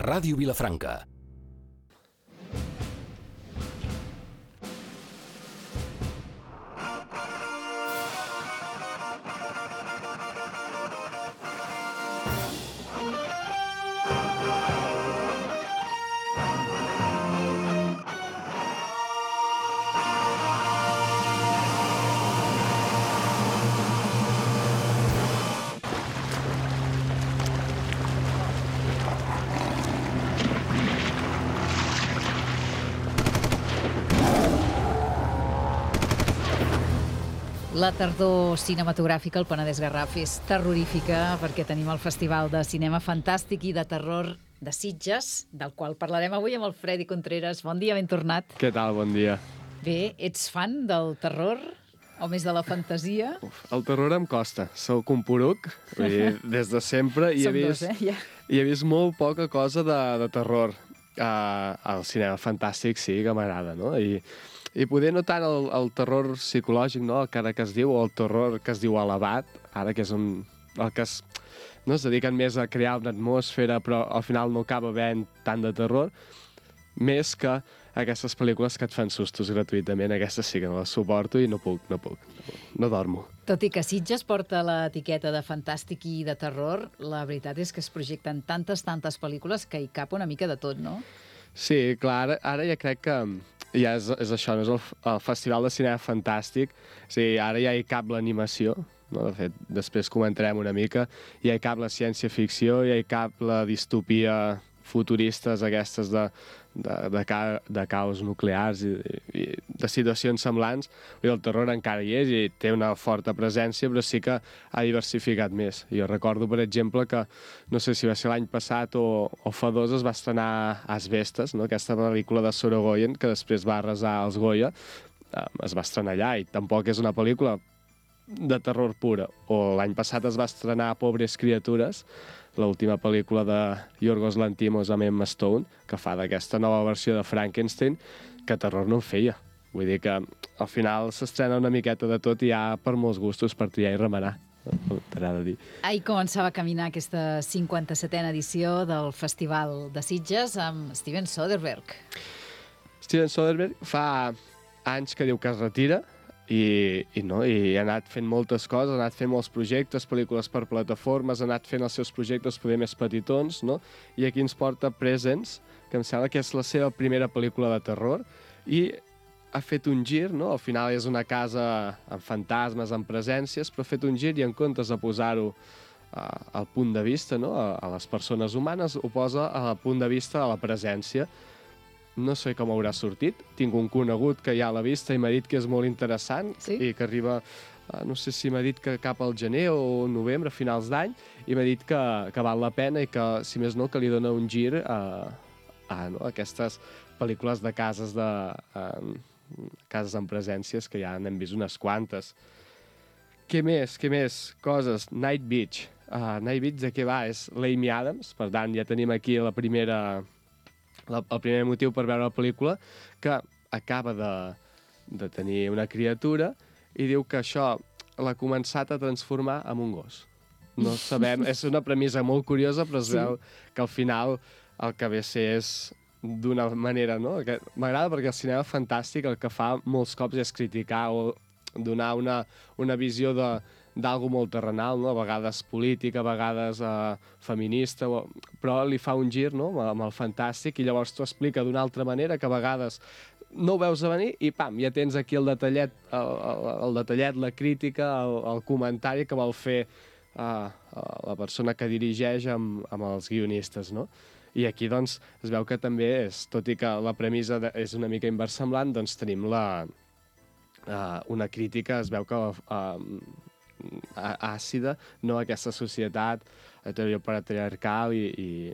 Ràdio Vilafranca. La tardor cinematogràfica al Penedès Garraf és terrorífica perquè tenim el Festival de Cinema Fantàstic i de Terror de Sitges, del qual parlarem avui amb el Freddy Contreras. Bon dia, ben tornat. Què tal? Bon dia. Bé, ets fan del terror o més de la fantasia? El terror em costa. Soc un poruc, vull dir, des de sempre. Som dos, ja. I he vist molt poca cosa de terror. Al cinema fantàstic sí que m'agrada, no? I poder no tant el terror psicològic, no? El cara que es diu, o el terror que es diu elevat, ara que és el que no es dediquen més a crear una atmosfera, però al final no acaba havent tant de terror, més que aquestes pel·lícules que et fan sustos gratuïtament. Aquestes sí que no les suporto i no puc. No dormo. Tot i que Sitges porta l'etiqueta de fantàstic i de terror, la veritat és que es projecten tantes pel·lícules que hi cap una mica de tot, no? Sí, clar, ara ja crec que ja és això, no és el Festival de Cinema Fantàstic. O sigui, ara ja hi cap l'animació, no? De fet, després comentarem una mica. Ja hi cap la ciència-ficció, ja hi cap la distopia futuristes aquestes de caos nuclears i de situacions semblants. I el terror encara hi és i té una forta presència, però sí que ha diversificat més. Jo recordo, per exemple, que no sé si va ser l'any passat o fa dos es va estrenar Asbestes, no? Aquesta pel·lícula de Sorogoyen, que després va arrasar els Goya, es va estrenar allà i tampoc és una pel·lícula de terror pura. O l'any passat es va estrenar Pobres criatures, l'última pel·lícula de Yorgos Lanthimos amb Emma Stone, que fa d'aquesta nova versió de Frankenstein, que terror no en feia. Vull dir que al final s'estrena una miqueta de tot i hi ha per molts gustos per triar i remenar. T'agrada dir. Ahir començava a caminar aquesta 57a edició del Festival de Sitges amb Steven Soderbergh. Steven Soderbergh fa anys que diu que es retira, i ha anat fent moltes coses, ha anat fent molts projectes, pel·lícules per plataformes, ha anat fent els seus projectes poder més petitons, no? I aquí ens porta Presence, que em sembla que és la seva primera pel·lícula de terror, i ha fet un gir, no? Al final és una casa amb fantasmes, amb presències, però ha fet un gir i en comptes de posar-ho al punt de vista, no? A les persones humanes, ho posa al punt de vista de la presència. No sé com haurà sortit. Tinc un conegut que ja l'ha vista i m'ha dit que és molt interessant, sí? I que arriba, no sé si m'ha dit que cap al gener o novembre, a finals d'any, i m'ha dit que val la pena i que, si més no, que li dona un gir a aquestes pel·lícules de cases amb presències, que ja n'hem vist unes quantes. Què més? Coses. Night Beach. Night Beach de què va? És l'Amy Adams, per tant ja tenim aquí el primer motiu per veure la pel·lícula, que acaba de tenir una criatura i diu que això l'ha començat a transformar en un gos. No sabem, és una premissa molt curiosa, però es veu que al final el que ve a ser és d'una manera, no? M'agrada perquè el cinema fantàstic el que fa molts cops és criticar o donar una visió d'algo molt terrenal, no? A vegades política, a vegades feminista, però li fa un gir, no? Amb el fantàstic, i llavors t'ho explica d'una altra manera, que a vegades no ho veus a venir i pam, ja tens aquí el detallet, la crítica, el comentari que vol fer la persona que dirigeix amb els guionistes, no? I aquí, doncs, es veu que també és, tot i que la premissa és una mica inversemblant, doncs tenim una crítica, es veu que àcida, no, a aquesta societat heteropatriarcal i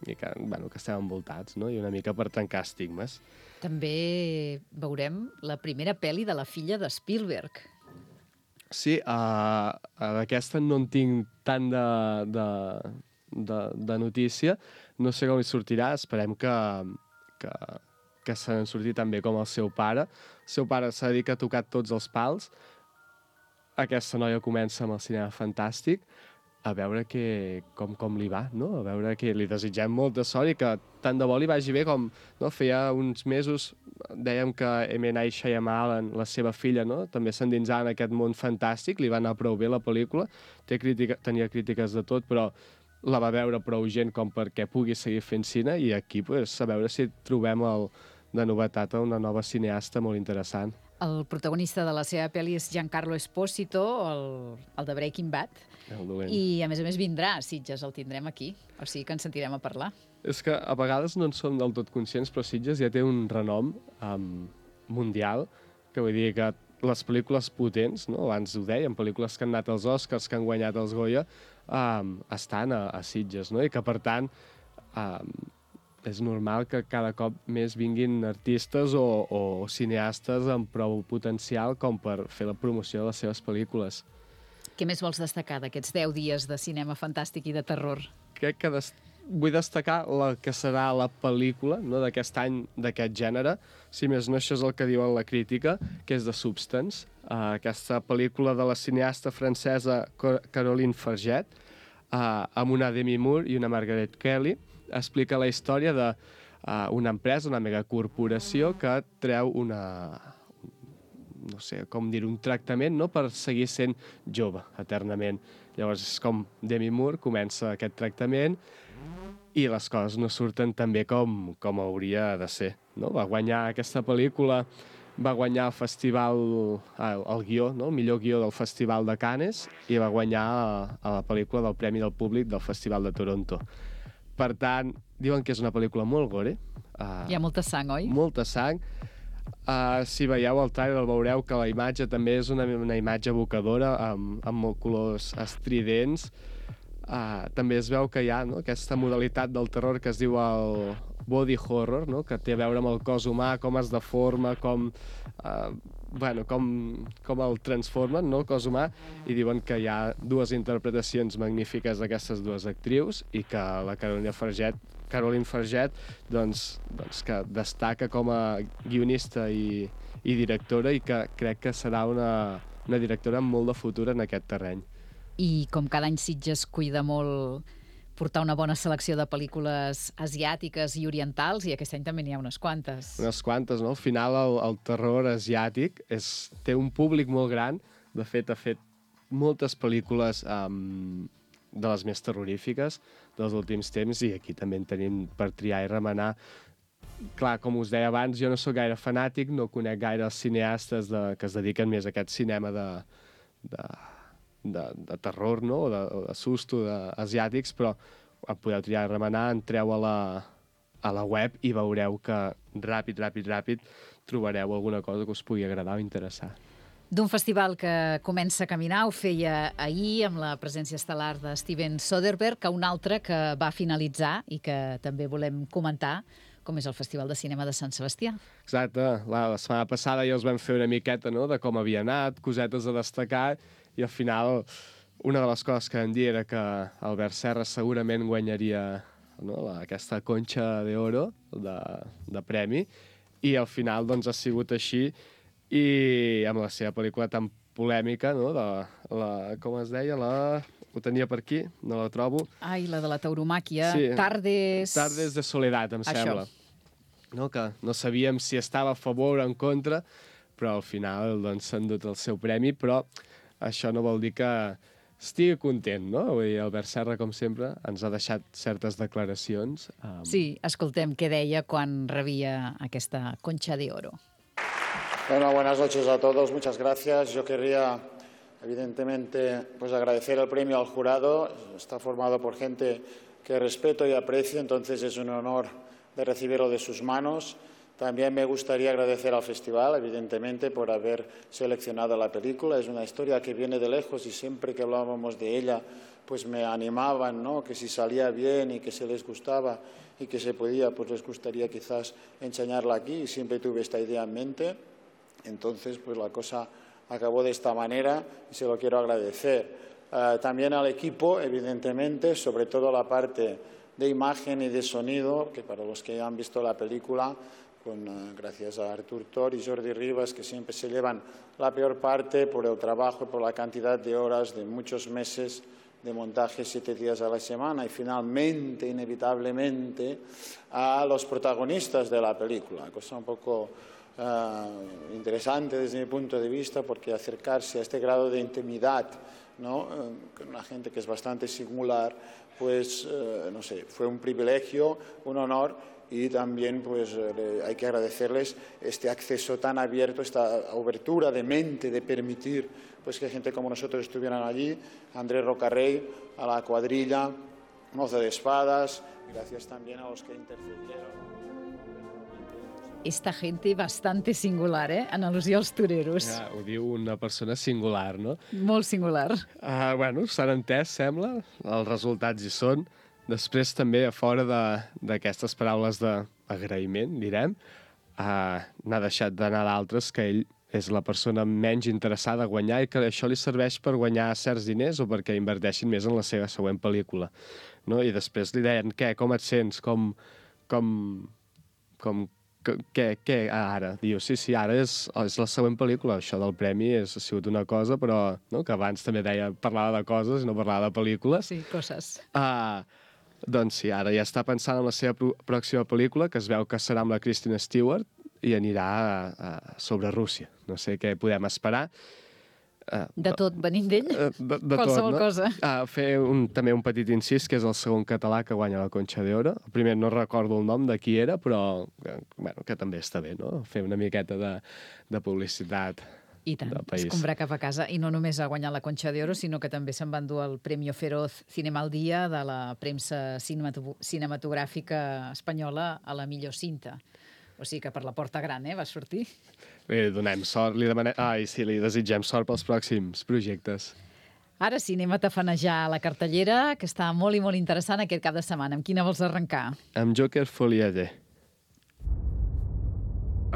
que, bueno, que estem envoltats, no? I una mica per trencar estigmes. També veurem la primera pel·li de la filla de Spielberg. Sí, d'aquesta no en tinc tant de notícia, no sé com hi sortirà, esperem que se n'en surti tan bé com el seu pare. El seu pare s'ha dit que ha tocat tots els pals. Aquesta noia comença amb el cinema fantàstic. a veure com li va, no? A veure que li desitgem molta sort i que tant de bo li vagi bé com, no? Feia uns mesos dèiem que M. Night Shyamalan, la seva filla, no? També s'endinsava en aquest món fantàstic, li va anar prou bé la pel·lícula, tenia crítiques de tot, però la va veure prou gent com perquè pugui seguir fent cine, i aquí pues, a veure si trobem de novetat una nova cineasta molt interessant. El protagonista de la seva pel·li és Giancarlo Esposito, el de Breaking Bad, i a més vindrà a Sitges, el tindrem aquí, o sigui que ens sentirem a parlar. És que a vegades no en som del tot conscients, però Sitges ja té un renom mundial, que vull dir que les pel·lícules potents, no? Abans ho dèiem, pel·lícules que han anat als Oscars, que han guanyat els Goya, estan a Sitges, no? I que, per tant, és normal que cada cop més vinguin artistes o cineastes amb prou potencial com per fer la promoció de les seves pel·lícules. Què més vols destacar d'aquests 10 dies de cinema fantàstic i de terror? Crec que vull destacar la que serà la pel·lícula, no, d'aquest any, d'aquest gènere. Si més no, això és el que diuen la crítica, que és The Substance, aquesta pel·lícula de la cineasta francesa Caroline Farget, amb una Demi Moore i una Margaret Kelly. Explica la història d'una empresa, una megacorporació que treu no sé com dir, un tractament, no?, per seguir sent jove eternament. Llavors és com Demi Moore comença aquest tractament i les coses no surten tan bé com hauria de ser, no? Va guanyar aquesta pel·lícula, va guanyar el festival, el guió, no?, el millor guió del Festival de Cannes, i va guanyar a la pel·lícula del Premi del Públic del Festival de Toronto. Per tant, diuen que és una pel·lícula molt gore. Hi ha molta sang, oi? Molta sang. Si veieu el trailer veureu que la imatge també és una imatge evocadora, amb molts colors estridents. També es veu que hi ha, no?, aquesta modalitat del terror que es diu el body horror, no?, que té a veure amb el cos humà, com es deforma, com el transformen, no?, el cos humà, i diuen que hi ha dues interpretacions magnífiques d'aquestes dues actrius i que la Caroline Farget doncs que destaca com a guionista i directora, i que crec que serà una directora amb molt de futur en aquest terreny. I com cada any Sitges cuida molt portar una bona selecció de pel·lícules asiàtiques i orientals, i aquest any també n'hi ha unes quantes. Unes quantes, no? Al final el terror asiàtic té un públic molt gran. De fet, ha fet moltes pel·lícules de les més terrorífiques dels últims temps, i aquí també en tenim per triar i remenar. Clar, com us deia abans, jo no sóc gaire fanàtic, no conec gaire els cineastes que es dediquen més a aquest cinema de terror, no?, o de susto asiàtics, però podeu triar i remenar, entreu a la web i veureu que ràpid trobareu alguna cosa que us pugui agradar o interessar. D'un festival que comença a caminar, ho feia ahir amb la presència estel·lar de Steven Soderbergh, a un altre que va finalitzar i que també volem comentar, com és el Festival de Cinema de Sant Sebastià. Exacte. La setmana passada ja us vam fer una miqueta, no?, de com havia anat, cosetes a destacar, i al final una de les coses que vam dir era que Albert Serra segurament guanyaria, no?, aquesta Concha de Oro de premi, i al final doncs ha sigut així, i amb la seva pel·lícula tan polèmica, no?, com es deia, ho tenia per aquí, no la trobo. Ai, la de la tauromàquia, sí. Tardes de Soledad, em sembla. No? Que no sabíem si estava a favor o en contra, però al final doncs, s'ha endut el seu premi, però això no vol dir que estigui content, no? Vull dir, Albert Serra, com sempre, ens ha deixat certes declaracions. Sí, escoltem què deia quan rebia aquesta Concha de Oro. Bueno, buenas noches a todos, muchas gracias. Yo querría, evidentemente, pues agradecer el premio al jurado. Está formado por gente que respeto y aprecio, entonces es un honor de recibirlo de sus manos. También me gustaría agradecer al festival, evidentemente, por haber seleccionado la película. Es una historia que viene de lejos y siempre que hablábamos de ella, pues me animaban, ¿no?, que si salía bien y que se les gustaba y que se podía, pues les gustaría quizás enseñarla aquí, y siempre tuve esta idea en mente. Entonces, pues la cosa acabó de esta manera y se lo quiero agradecer. También al equipo, evidentemente, sobre todo la parte de imagen y de sonido, que para los que han visto la película, gracias a Artur Tor y Jordi Rivas, que siempre se llevan la peor parte por el trabajo y por la cantidad de horas, de muchos meses de montaje 7 días a la semana y finalmente, inevitablemente, a los protagonistas de la película, cosa un poco interesante desde mi punto de vista, porque acercarse a este grado de intimidad, ¿no?, con una gente que es bastante singular, pues, no sé, fue un privilegio, un honor, y también pues hay que agradecerles este acceso tan abierto, esta abertura de mente, de permitir pues que gente como nosotros estuvieran allí, Andrés Rocarrey, a la cuadrilla, Mozo de Espadas, gracias también a los que intercedieron. Esta gente bastante singular, en al·lusió als toreros. Ja, ho diu una persona singular, no? Molt singular. Bueno, s'han entès, sembla. Els resultats hi són. Després, també, a fora d'aquestes paraules d'agraïment, direm, n'ha deixat d'anar d'altres que ell és la persona menys interessada a guanyar i que això li serveix per guanyar certs diners o perquè inverteixin més en la seva següent pel·lícula. No? I després li deien, què, com et sents? Què, ara? Diu, sí, ara és la següent pel·lícula. Això del premi ha sigut una cosa, però no? Que abans també parlava de coses i no parlava de pel·lícules. Sí, coses. Doncs sí, ara ja està pensant en la seva pròxima pel·lícula, que es veu que serà amb la Kristen Stewart, i anirà sobre Rússia. No sé què podem esperar. De tot, venint d'ell? Qualsevol tot, no? Cosa. Fer també un petit incís, que és el segon català que guanya la Conxa d'Oro. El primer no recordo el nom de qui era, però bueno, que també està bé, no? Fer una miqueta de publicitat. I tant, escombrar cap a casa. I no només ha guanyat la Conxa d'Oro, sinó que també se'n va endur el Premio Feroz Cinema al Dia de la premsa cinematogràfica espanyola a la millor cinta. O sigui que per la porta gran, va sortir. Li donem sort, li desitgem sort pels pròxims projectes. Ara sí, anem a tafanejar la cartellera, que està molt i molt interessant aquest cap de setmana. Amb quina vols arrencar? Amb Joker Foliade.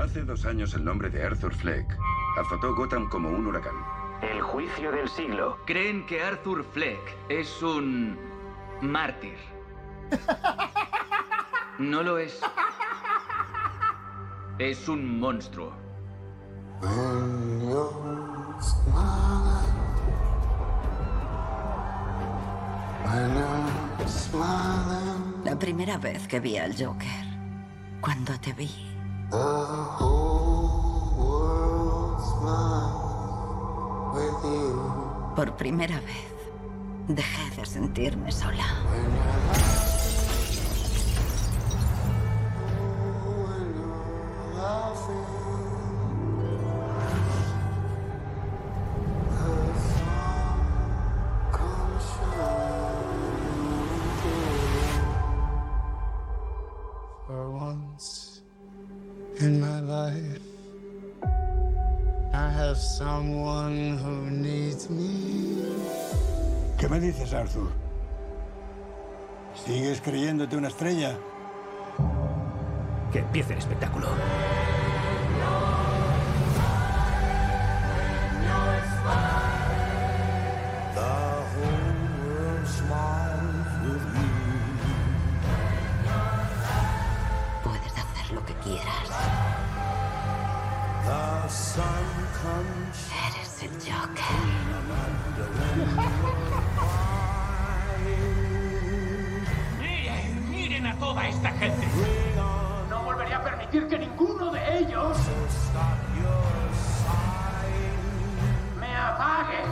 Hace 2 años el nombre de Arthur Fleck azotó Gotham como un huracán. El juicio del siglo. Creen que Arthur Fleck es un mártir. No lo es. Es un monstruo. La primera vez que vi al Joker, cuando te vi, por primera vez, dejé de sentirme sola. For once in my life, I have someone who needs me. ¿Qué me dices, Arthur? ¿Sigues creyéndote una estrella? Que empiece el espectáculo. Puedes hacer lo que quieras. Eres el Joker. Miren a toda esta gente. No volveré a permitir que ninguno de ellos me apague.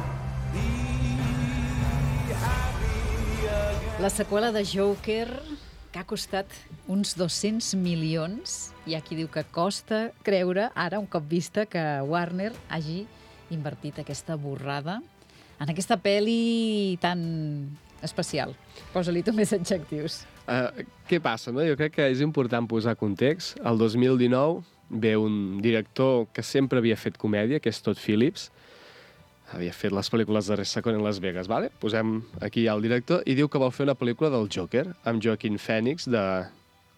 La seqüela de Joker, que ha costat uns 200 milions, hi ha qui diu que costa creure, ara, un cop vista, que Warner hagi invertit aquesta borrada en aquesta pel·li tan especial. Posa-li tu més adjectius. Què passa, no? Jo crec que és important posar context. El 2019 ve un director que sempre havia fet comèdia, que és Todd Phillips. Havia fet les pel·lícules de Resacón en Las Vegas, vale? Posem aquí el director i diu que vol fer una pel·lícula del Joker, amb Joaquin Phoenix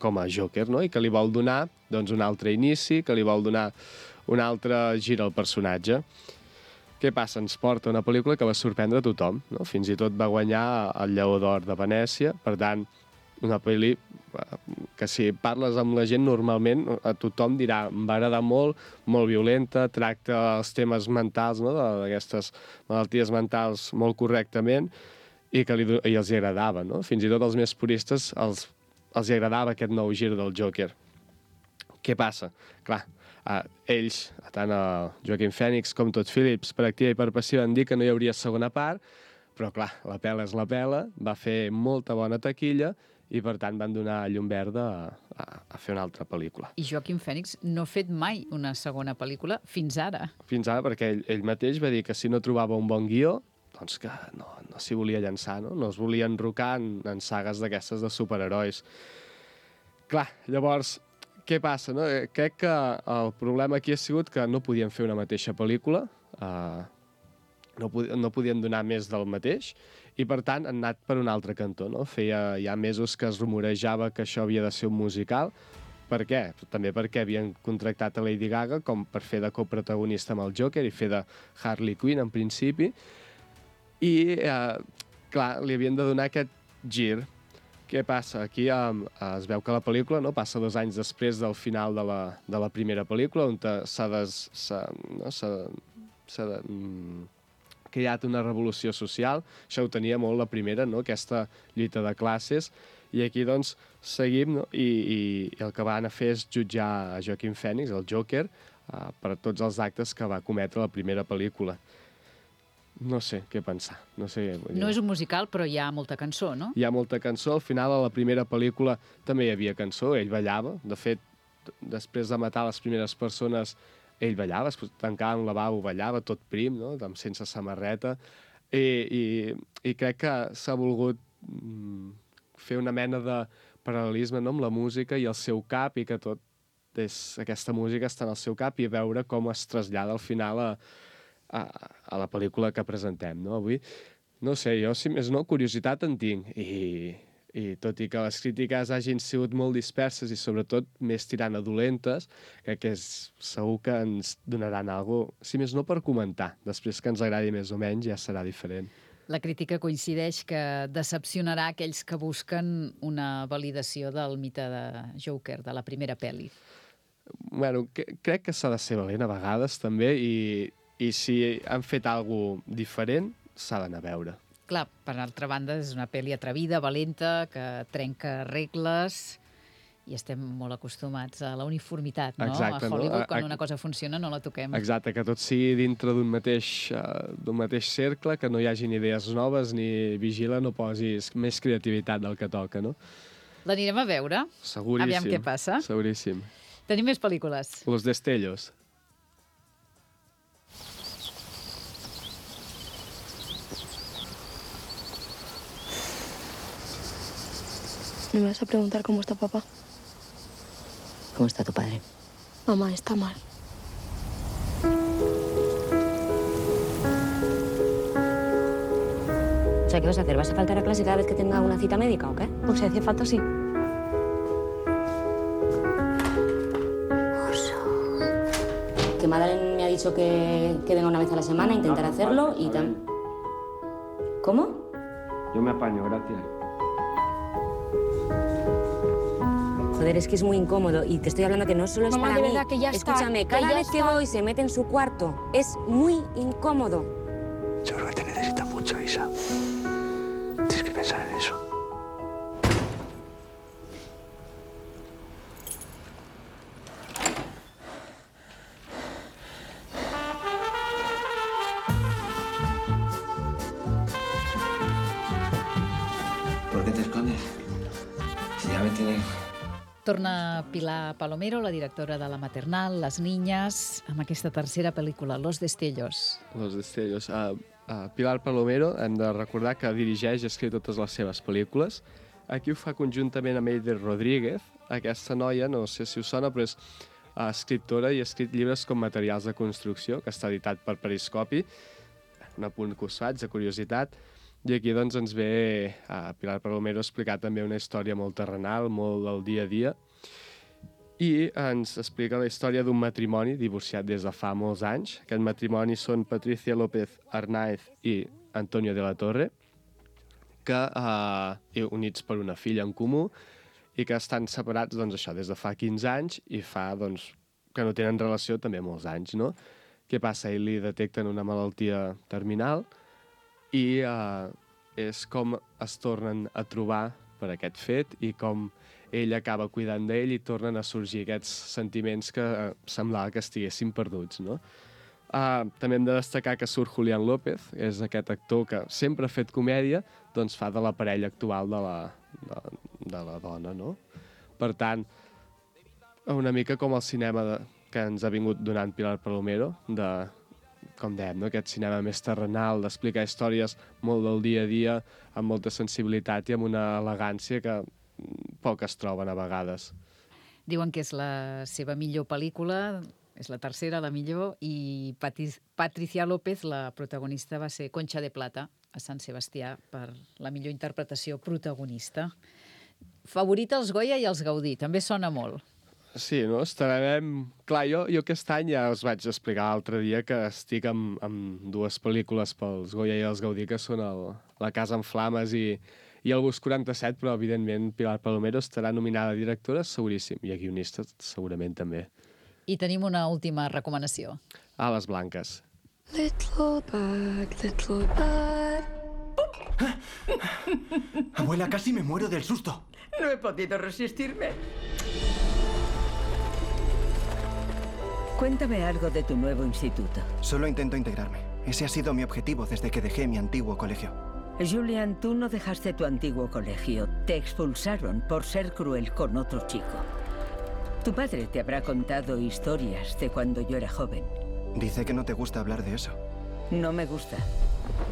com a Joker, no? I que li vol donar doncs, un altre inici, que li vol donar un altre gir al personatge. Què passa? Ens porta una pel·lícula que va sorprendre a tothom, no? Fins i tot va guanyar el Lleó d'Or de Venècia, per tant, una pel·li que si parles amb la gent normalment a tothom dirà em va agradar molt, molt violenta, tracta els temes mentals, no? D'aquestes malalties mentals molt correctament i els agradava, no? Fins i tot als més puristes els agradava aquest nou gir del Joker. Què passa? Clar, ells, tant el Joaquin Phoenix com Todd Phillips, per activa i per passiva, han dit que no hi hauria segona part, però clar, la pela és la pela, va fer molta bona taquilla i per tant van donar llum verda a fer una altra pel·lícula. I Joaquin Phoenix no ha fet mai una segona pel·lícula fins ara. Fins ara, perquè ell mateix va dir que si no trobava un bon guió, doncs que no s'hi volia llançar, no? No es volia enrocar en sagues d'aquestes de superherois. Clar, llavors, què passa, no? Crec que el problema aquí ha sigut que no podien fer una mateixa pel·lícula, no podien donar més del mateix, i per tant han anat per un altre cantó, no? Feia ja mesos que es rumorejava que això havia de ser un musical. Per què? També perquè havien contractat a Lady Gaga com per fer de coprotagonista amb el Joker i fer de Harley Quinn, en principi, i, clar, li havien de donar aquest gir. Què passa? Aquí es veu que la pel·lícula passa 2 anys després del final de la primera pel·lícula, on s'ha creat una revolució social. Això ho tenia molt la primera, no? Aquesta lluita de classes. I aquí, doncs, seguim, no? I el que van a fer és jutjar a Joaquin Phoenix, el Joker, per tots els actes que va cometre la primera pel·lícula. No sé què pensar. No és un musical, però hi ha molta cançó, no? Hi ha molta cançó. Al final, a la primera pel·lícula també hi havia cançó. Ell ballava. De fet, després de matar les primeres persones, ell ballava. Es tancava en un lavabo, ballava tot prim, no? Sense samarreta. I crec que s'ha volgut fer una mena de paral·lelisme, no? Amb la música i el seu cap, i que aquesta música està en el seu cap, i veure com es trasllada al final a la pel·lícula que presentem, no? Avui, no sé, jo, si més no, curiositat en tinc, i tot i que les crítiques hagin sigut molt disperses i sobretot més tirant a dolentes, crec que segur que ens donaran alguna cosa, si més no, per comentar. Després que ens agradi més o menys ja serà diferent. La crítica coincideix que decepcionarà aquells que busquen una validació del mite de Joker, de la primera pel·li. Bueno, crec que s'ha de ser valent a vegades, també, i si han fet alguna cosa diferent, s'ha d'anar a veure. Clar, per altra banda, és una pel·li atrevida, valenta, que trenca regles, i estem molt acostumats a la uniformitat, no? Exacte, a Hollywood, quan una cosa funciona, no la toquem. Exacte, que tot sigui dintre d'un mateix cercle, que no hi hagin idees noves, ni vigila, no posis més creativitat del que toca, no? L'anirem a veure? Seguríssim. Aviam què passa. Seguríssim. Tenim més pel·lícules. Los Destellos. ¿Me vas a preguntar cómo está papá? ¿Cómo está tu padre? Mamá, está mal. O sea, ¿qué vas a hacer? ¿Vas a faltar a clase cada vez que tenga una cita médica o qué? O sea, hace falta, sí. Que Madeleine me ha dicho que venga una vez a la semana, intentar hacerlo y también... ¿Cómo? Yo me apaño, gracias. Joder, es que es muy incómodo y te estoy hablando que no solo es Mamá, para de mí. verdad que ya está. Escúchame, cada vez que voy se mete en su cuarto. Es muy incómodo. Yo creo que te necesita mucho, Isa. Tienes que pensar en eso. ¿Por qué te escondes? Si ya me tienes... Torna Pilar Palomero, la directora de La Maternal, Les Niñas, amb aquesta tercera pel·lícula, Los Destellos. Los Destellos. Pilar Palomero, hem de recordar que dirigeix i escriu totes les seves pel·lícules. Aquí ho fa conjuntament amb Eider Rodríguez. Aquesta noia, no sé si us sona, però és escriptora i ha escrit llibres com Materials de construcció, que està editat per Periscopi. Un apunt que us faig, de curiositat. I aquí doncs, ens ve Pilar Palomero a explicar també una història molt terrenal, molt del dia a dia, i ens explica la història d'un matrimoni divorciat des de fa molts anys. Aquest matrimoni són Patricia López Arnáez i Antonio de la Torre, que units per una filla en comú i que estan separats doncs, això des de fa 15 anys i fa doncs, que no tenen relació també molts anys. No? Què passa? Ell li detecten una malaltia terminal i és com es tornen a trobar per aquest fet i com ell acaba cuidant d'ell i tornen a sorgir aquests sentiments que semblava que estiguessin perduts, no? També hem de destacar que surt Julián López, és aquest actor que sempre ha fet comèdia, doncs fa de la parella actual de la dona, no? Per tant, una mica com el cinema que ens ha vingut donant Pilar Palomero, com dèiem, no? Aquest cinema més terrenal, d'explicar històries molt del dia a dia, amb molta sensibilitat i amb una elegància que poques troben a vegades. Diuen que és la seva millor pel·lícula, és la tercera, la millor, i Patricia López, la protagonista, va ser Concha de Plata a Sant Sebastià per la millor interpretació protagonista. Favorita els Goya i els Gaudí, també sona molt. Sí, no? Estarem... Clar, jo aquest any ja us vaig explicar l'altre dia que estic amb dues pel·lícules pels Goya i els Gaudí, que són La casa en flames i el Bus 47, però evidentment Pilar Palomero estarà nominada a directora, seguríssim, i a guionista segurament també. I tenim una última recomanació. Ales blanques. Little bird. Abuela, casi me muero del susto. No he podido resistirme. Cuéntame algo de tu nuevo instituto. Solo intento integrarme. Ese ha sido mi objetivo desde que dejé mi antiguo colegio. Julian, tú no dejaste tu antiguo colegio. Te expulsaron por ser cruel con otro chico. Tu padre te habrá contado historias de cuando yo era joven. Dice que no te gusta hablar de eso. No me gusta,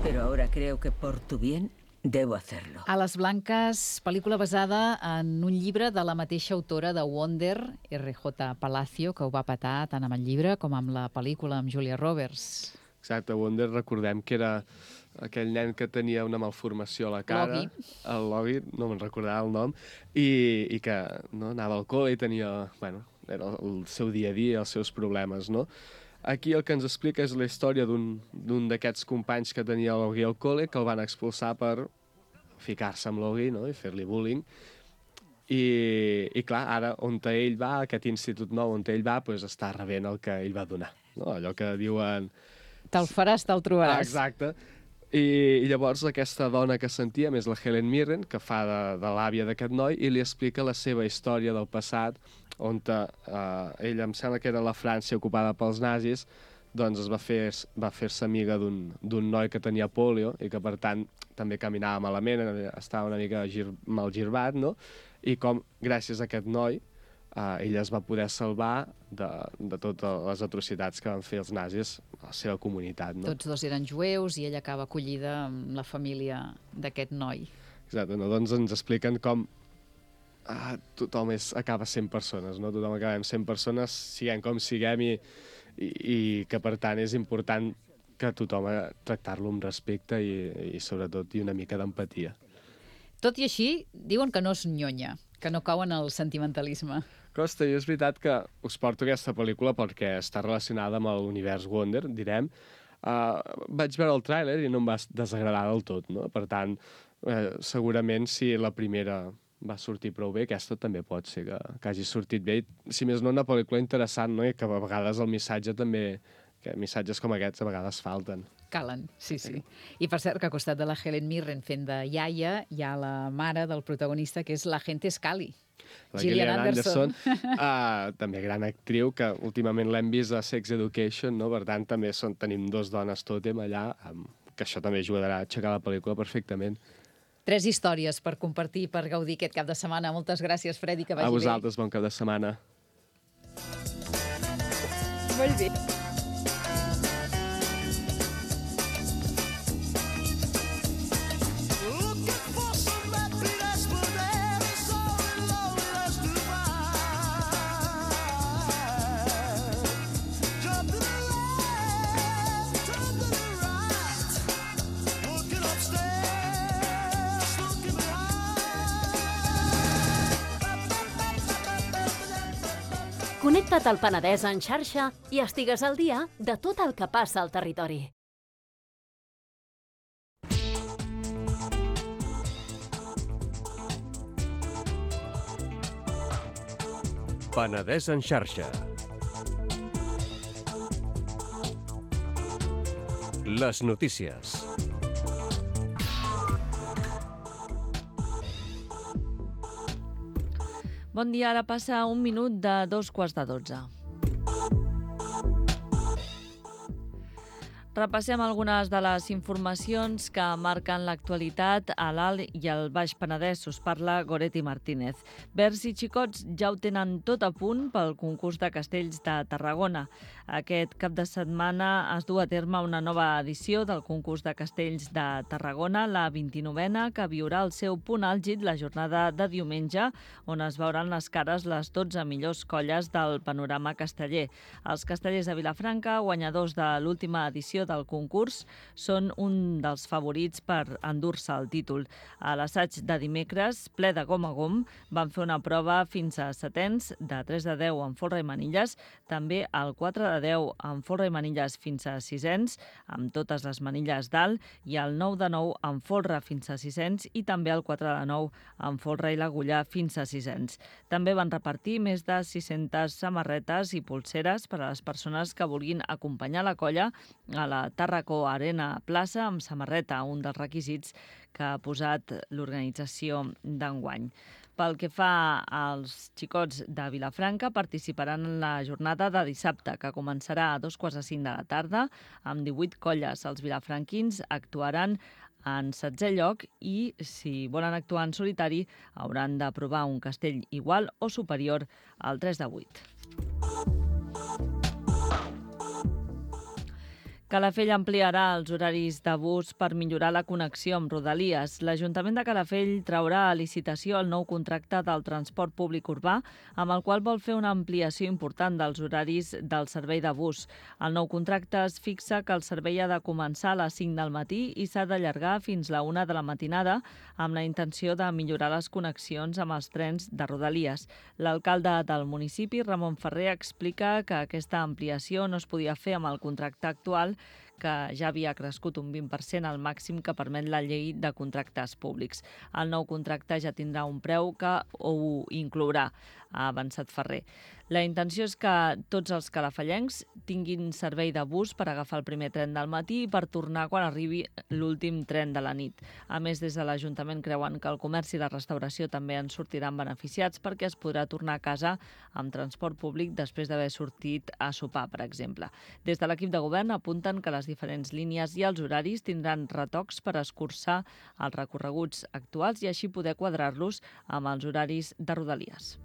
pero ahora creo que por tu bien debo hacerlo. Ales blanques, pel·lícula basada en un llibre de la mateixa autora de Wonder, R.J. Palacio, que ho va petar tant amb el llibre com amb la pel·lícula amb Julia Roberts. Exacte, Wonder, recordem que era aquell nen que tenia una malformació a la cara. Logie. El Logie, no me'n recordava el nom, i que no, anava al col·le i tenia, bueno, era el seu dia a dia, els seus problemes, no? Aquí el que ens explica és la història d'un d'aquests companys que tenia el Logie al col·le, que el van expulsar per ficar-se amb Logie, no?, i fer-li bullying. I clar, ara, on ell va, aquest institut nou on ell va, doncs està rebent el que ell va donar, no? Allò que diuen... Te'l faràs, te'l trobaràs. Exacte. I llavors aquesta dona que sentíem és la Helen Mirren, que fa de l'àvia d'aquest noi, i li explica la seva història del passat, on ella, em sembla que era la França ocupada pels nazis, doncs va fer-se amiga d'un noi que tenia polio i que, per tant, també caminava malament, estava una mica mal girbat, no? I com, gràcies a aquest noi, ella es va poder salvar de totes les atrocitats que van fer els nazis a la seva comunitat, no? Tots dos eren jueus i ella acaba acollida amb la família d'aquest noi. Exacte, no? Doncs ens expliquen com tothom acaba sent persones, no? Tothom acabem sent persones, siguem com siguem, i que, per tant, és important que tothom tractar-lo amb respecte i sobretot, i una mica d'empatia. Tot i així, diuen que no és nyonya, que no cau en el sentimentalisme. Costa, i és veritat que us porto aquesta pel·lícula perquè està relacionada amb l'univers Wonder, direm. Vaig veure el tràiler i no em va desagradar del tot, no? Per tant, segurament si la primera va sortir prou bé, aquesta també pot ser que hagi sortit bé. Si més no, una pel·lícula interessant, no? I que a vegades el missatge també... que missatges com aquests a vegades falten. Calen, sí. I per cert, que al costat de la Helen Mirren fent de iaia hi ha la mare del protagonista, que és l'agente Scully. La Gillian Anderson, també gran actriu, que últimament l'hem vist a Sex Education, no? Per tant, també tenim dos dones tòtem allà, que això també ajudarà a aixecar la pel·lícula perfectament. 3 històries per compartir, per gaudir aquest cap de setmana. Moltes gràcies, Freddy, que vagi bé. A vosaltres, bon cap de setmana. Molt bé. Connecta't al Penedès en xarxa i estigues al dia de tot el que passa al territori. Penedès en xarxa. Les notícies. Bon dia, ara passa 1 minut de 2:15. Repassem algunes de les informacions que marquen l'actualitat a l'Alt i al Baix Penedès. Us parla Goretti Martínez. Verds i xicots ja ho tenen tot a punt pel concurs de castells de Tarragona. Aquest cap de setmana es du a terme una nova edició del concurs de castells de Tarragona, la 29a, que viurà el seu punt àlgid la jornada de diumenge, on es veuran les cares les 12 millors colles del panorama casteller. Els castellers de Vilafranca, guanyadors de l'última edició del concurs, són un dels favorits per endur-se el títol. A l'assaig de dimecres, ple de gom a gom, van fer una prova fins a setens de 3 de 10 en folre i manilles, també el 4 de 10 en folre i manilles fins a sisens, amb totes les manilles dalt, i el 9 de 9 en folre fins a sisens i també el 4 de 9 en folre i l'agulla fins a sisens. També van repartir més de 600 samarretes i polseres per a les persones que vulguin acompanyar la colla a la Tàrraco Arena Plaça amb samarreta, un dels requisits que ha posat l'organització d'enguany. Pel que fa als xicots de Vilafranca, participaran en la jornada de dissabte, que començarà a 2:45 de la tarda, amb 18 colles. Els vilafranquins actuaran en 16è lloc i, si volen actuar en solitari, hauran de provar un castell igual o superior al 3 de 8. Calafell ampliarà els horaris de bus per millorar la connexió amb Rodalies. L'Ajuntament de Calafell traurà a licitació el nou contracte del transport públic urbà, amb el qual vol fer una ampliació important dels horaris del servei de bus. El nou contracte es fixa que el servei ha de començar a les 5 del matí i s'ha d'allargar fins la 1 de la matinada, amb la intenció de millorar les connexions amb els trens de Rodalies. L'alcalde del municipi, Ramon Ferrer, explica que aquesta ampliació no es podia fer amb el contracte actual, que ja havia crescut un 20% al màxim que permet la llei de contractes públics. El nou contracte ja tindrà un preu que ho inclourà, ha avançat Ferrer. La intenció és que tots els calafellencs tinguin servei de bus per agafar el primer tren del matí i per tornar quan arribi l'últim tren de la nit. A més, des de l'Ajuntament creuen que el comerç i la restauració també en sortiran beneficiats perquè es podrà tornar a casa amb transport públic després d'haver sortit a sopar, per exemple. Des de l'equip de govern apunten que les diferents línies i els horaris tindran retocs per escurçar els recorreguts actuals i així poder quadrar-los amb els horaris de Rodalies.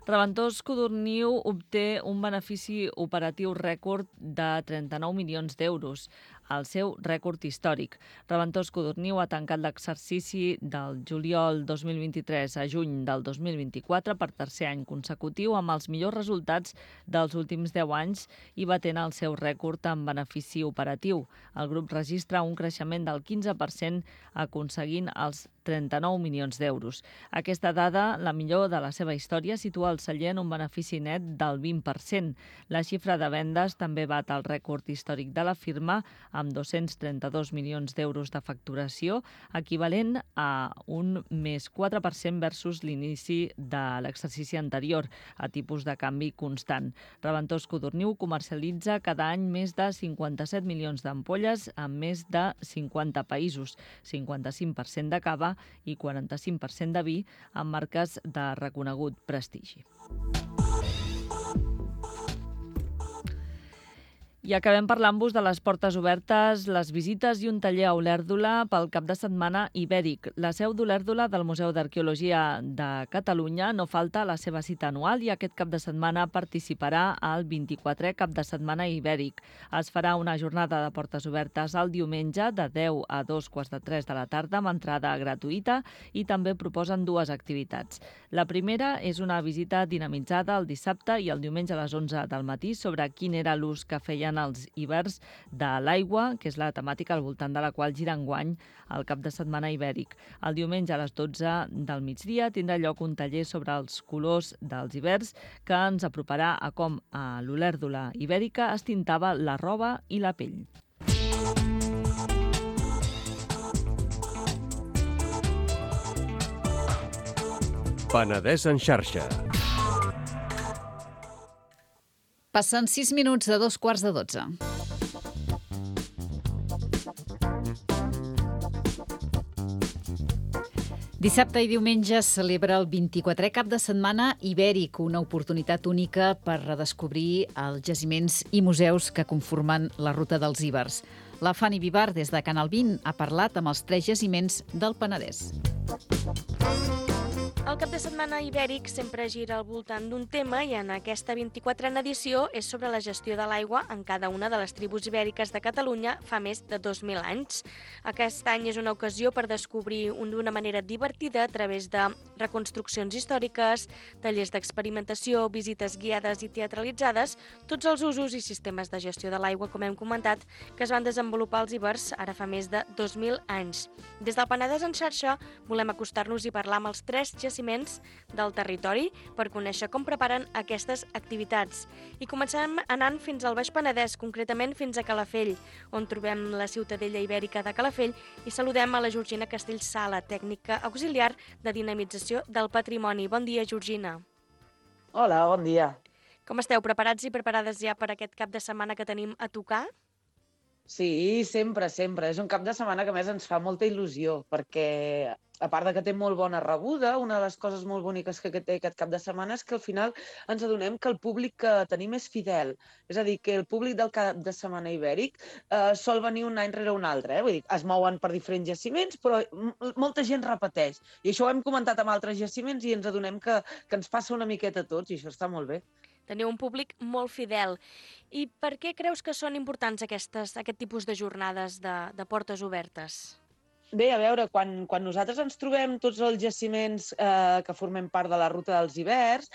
Reventós Codorniu obté un benefici operatiu rècord de 39 milions d'euros, el seu rècord històric. Reventós Codorniu ha tancat l'exercici del juliol 2023 a juny del 2024 per tercer any consecutiu amb els millors resultats dels últims 10 anys i batent el seu rècord en benefici operatiu. El grup registra un creixement del 15% aconseguint els 39 milions d'euros. Aquesta dada, la millor de la seva història, situa el celler en un benefici net del 20%. La xifra de vendes també bat el rècord històric de la firma amb 232 milions d'euros de facturació, equivalent a un més 4% versus l'inici de l'exercici anterior, a tipus de canvi constant. Reventós Codorniu comercialitza cada any més de 57 milions d'ampolles en més de 50 països, 55% de cava i 45% de vi amb marques de reconegut prestigi. I acabem parlant-vos de les portes obertes, les visites i un taller a Olèrdola pel cap de setmana ibèric. La seu d'Olèrdola del Museu d'Arqueologia de Catalunya no falta a la seva cita anual i aquest cap de setmana participarà al 24è cap de setmana ibèric. Es farà una jornada de portes obertes el diumenge de 10 a 2:15 de la tarda amb entrada gratuïta i també proposen dues activitats. La primera és una visita dinamitzada el dissabte i el diumenge a les 11 del matí sobre quin era l'ús que feien els hiverns de l'aigua, que és la temàtica al voltant de la qual gira enguany el cap de setmana ibèric. El diumenge a les 12 del migdia tindrà lloc un taller sobre els colors dels hiverns que ens aproparà a com a l'Olèrdola ibèrica es tintava la roba i la pell. Penedès en xarxa. Passen 6 minuts de 2:15. Dissabte i diumenge es celebra el 24è cap de setmana ibèric, una oportunitat única per redescobrir els jaciments i museus que conformen la Ruta dels Ibers. La Fanny Vivar, des de Canal 20, ha parlat amb els 3 jaciments del Penedès. El cap de setmana ibèric sempre gira al voltant d'un tema i en aquesta 24a edició és sobre la gestió de l'aigua en cada una de les tribus ibèriques de Catalunya fa més de 2.000 anys. Aquest any és una ocasió per descobrir d'una manera divertida a través de reconstruccions històriques, tallers d'experimentació, visites guiades i teatralitzades, tots els usos i sistemes de gestió de l'aigua, com hem comentat, que es van desenvolupar als Ibers ara fa més de 2.000 anys. Des del Penedès en xarxa volem acostar-nos i parlar amb els 3 jaciments del territori per conèixer com preparen aquestes activitats. I comencem anant fins al Baix Penedès, concretament fins a Calafell, on trobem la Ciutadella Ibèrica de Calafell i saludem a la Georgina Castellsala, tècnica auxiliar de dinamització del patrimoni. Bon dia, Georgina. Hola, bon dia. Com esteu? Preparats i preparades ja per aquest cap de setmana que tenim a tocar? Sí, sempre, sempre. És un cap de setmana que a més ens fa molta il·lusió, perquè a part de que té molt bona rebuda, una de les coses molt boniques que té aquest cap de setmana és que al final ens adonem que el públic que tenim és fidel. És a dir, que el públic del cap de setmana ibèric sol venir un any rere un altre. Vull dir, es mouen per diferents jaciments, però molta gent repeteix. I això ho hem comentat amb altres jaciments i ens adonem que ens passa una miqueta a tots i això està molt bé. Teniu un públic molt fidel. I per què creus que són importants aquest tipus de jornades de portes obertes? Bé, a veure, quan nosaltres ens trobem tots els jaciments que formem part de la Ruta dels Ibers,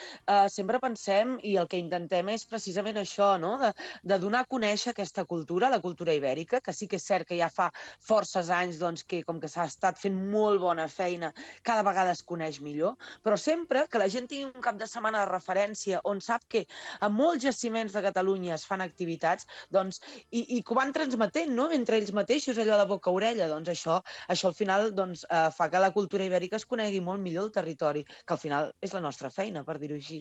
sempre pensem, i el que intentem és precisament això, no? De donar a conèixer aquesta cultura, la cultura ibèrica, que sí que és cert que ja fa forces anys que com que s'ha estat fent molt bona feina, cada vegada es coneix millor, però sempre que la gent tingui un cap de setmana de referència on sap que a molts jaciments de Catalunya es fan activitats, i que ho van transmetent, no? Entre ells mateixos, allò de boca a orella, això al final fa que la cultura ibèrica es conegui molt millor el territori, que al final és la nostra feina, per dir-ho així.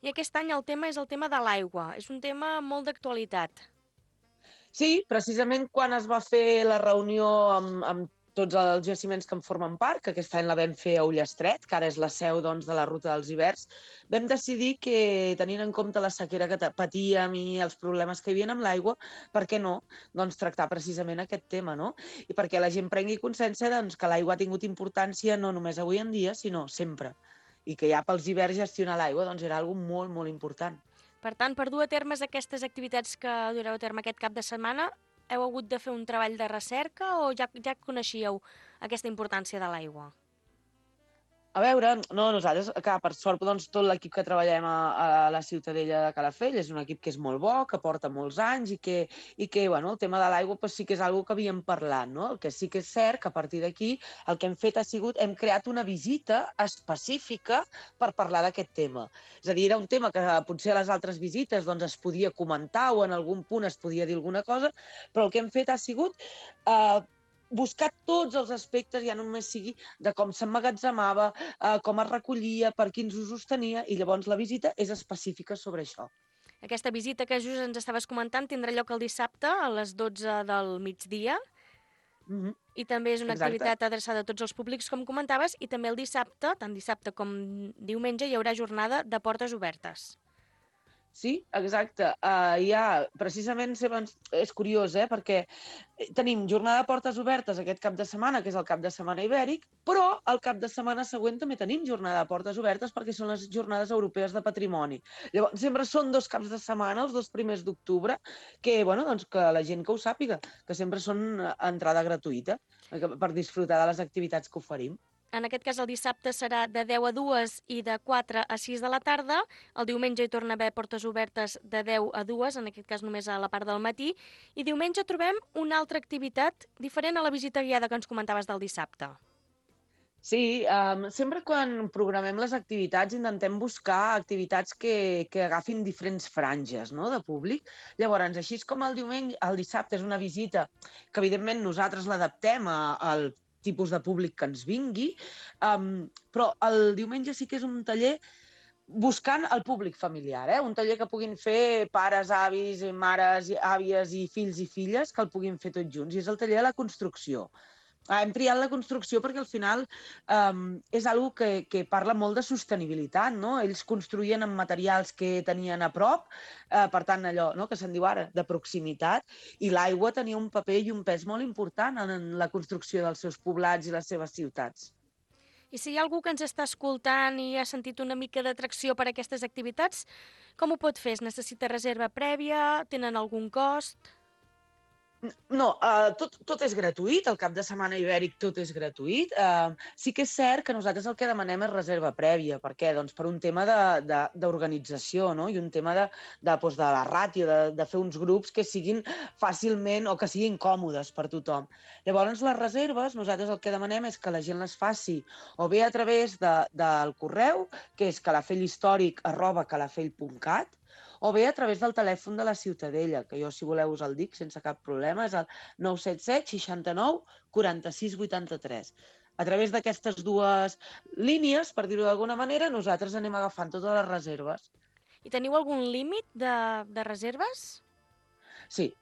I aquest any el tema és el tema de l'aigua. És un tema molt d'actualitat. Sí, precisament quan es va fer la reunió amb tots els jaciments que en formen part, que aquest any la vam fer a Ullastret, que ara és la seu de la Ruta dels Ibers, vam decidir que, tenint en compte la sequera que patíem i els problemes que hi havia amb l'aigua, per què no tractar precisament aquest tema, no? I perquè la gent prengui consciència que l'aigua ha tingut importància no només avui en dia, sinó sempre. I que ja pels Ibers gestionar l'aigua era una cosa molt, molt important. Per tant, per dur a terme aquestes activitats que dureu a terme aquest cap de setmana, heu hagut de fer un treball de recerca o ja coneixíeu aquesta importància de l'aigua? A veure, nosaltres, per sort, tot l'equip que treballem a la Ciutadella de Calafell és un equip que és molt bo, que porta molts anys i que el tema de l'aigua sí que és una cosa que havíem parlat, no? El que sí que és cert que a partir d'aquí el que hem fet ha sigut, hem creat una visita específica per parlar d'aquest tema. És a dir, era un tema que potser a les altres visites es podia comentar o en algun punt es podia dir alguna cosa, però el que hem fet ha sigut buscar tots els aspectes, ja només sigui de com s'emmagatzemava, com es recollia, per quins usos tenia, i llavors la visita és específica sobre això. Aquesta visita que just ens estaves comentant tindrà lloc el dissabte a les 12 del migdia i també és una activitat adreçada a tots els públics, com comentaves, i també el dissabte, tant dissabte com diumenge, hi haurà jornada de portes obertes. Sí, exacte. Precisament és curiós, perquè tenim jornada de portes obertes aquest cap de setmana, que és el cap de setmana ibèric, però el cap de setmana següent també tenim jornada de portes obertes perquè són les jornades europees de patrimoni. Llavors, sempre són 2 caps de setmana, els 2 primers d'octubre, que la gent que ho sàpiga, que sempre són entrada gratuïta per disfrutar de les activitats que oferim. En aquest cas, el dissabte serà de 10 a 2 i de 4 a 6 de la tarda. El diumenge hi torna a haver portes obertes de 10 a 2, en aquest cas només a la part del matí. I diumenge trobem una altra activitat diferent a la visita guiada que ens comentaves del dissabte. Sí, sempre quan programem les activitats intentem buscar activitats que agafin diferents franges de públic. Llavors, així com el dissabte és una visita que evidentment nosaltres l'adaptem al tipus de públic que ens vingui, però el diumenge sí que és un taller buscant el públic familiar, un taller que puguin fer pares, avis, mares, àvies i fills i filles, que el puguin fer tots junts, i és el taller de la construcció. Hem triat la construcció perquè al final és algo que parla molt de sostenibilitat, no? Ells construïen amb materials que tenien a prop, per tant allò que se'n diu ara, de proximitat, i l'aigua tenia un paper i un pes molt important en la construcció dels seus poblats i les seves ciutats. I si hi ha algú que ens està escoltant i ha sentit una mica d'atracció per aquestes activitats, com ho pot fer? Es necessita reserva prèvia? Tenen algun cost? No, tot és gratuït, el cap de setmana ibèric tot és gratuït. Sí que és cert que nosaltres el que demanem és reserva prèvia. Per què? Doncs per un tema d'organització, no? I un tema de la ràtio, de fer uns grups que siguin fàcilment o que siguin còmodes per tothom. Llavors, les reserves, nosaltres el que demanem és que la gent les faci o bé a través del correu, que és calafellhistòric@calafell.cat, o bé a través del telèfon de la Ciutadella, que jo, si voleu, us el dic sense cap problema, és el 977 69 46 83. A través d'aquestes dues línies, per dir-ho d'alguna manera, nosaltres anem agafant totes les reserves. I teniu algun límit de reserves? Sí.